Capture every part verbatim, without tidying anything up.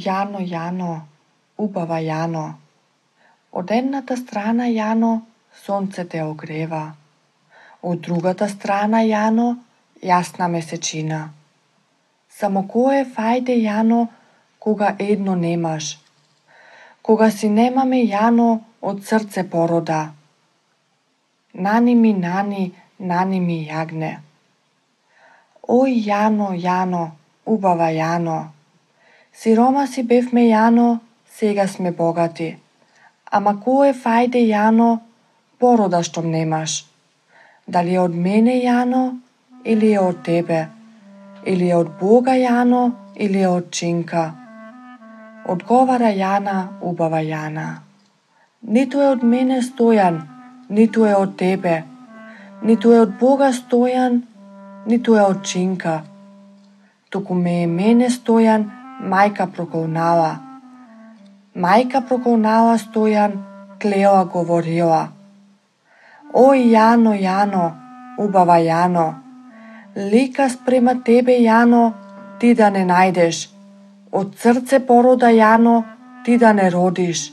Јано, Јано, убава Јано, од едната страна, Јано, сонце те огрева, од другата страна, Јано, јасна месечина. Само кој е фајде, Јано, кога едно немаш, кога си немаме, Јано, од срце порода. Нани ми, нани, нани ми јагне. Ој, Јано, Јано, убава Јано, сиромаси бевме, Јано, сега сме богати. Ама кој е фајде, Јано, порода штом немаш? Дали е од мене, Јано, или е од тебе? Или е од Бога, Јано, или е од чинка? Одговара Јана, убава Јана. Ниту е од мене Стојан, ниту е од тебе, ниту е од Бога Стојан, ниту е од чинка. Туку ме е мене Стојан, мајка проколнала. Мајка проколнала Стојан, клеоа говорила. Ој, Јано, Јано, убава Јано, лика спрема тебе, Јано, ти да не најдеш. Од срце порода, Јано, ти да не родиш.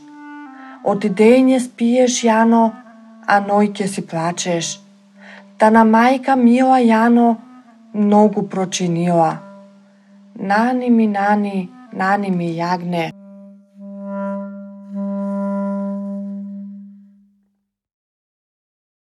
Од дење спиеш, Јано, а ноќе си плачеш. Тана мајка мила, Јано, многу прочинила. Нани ми, нани, нани ми јагне.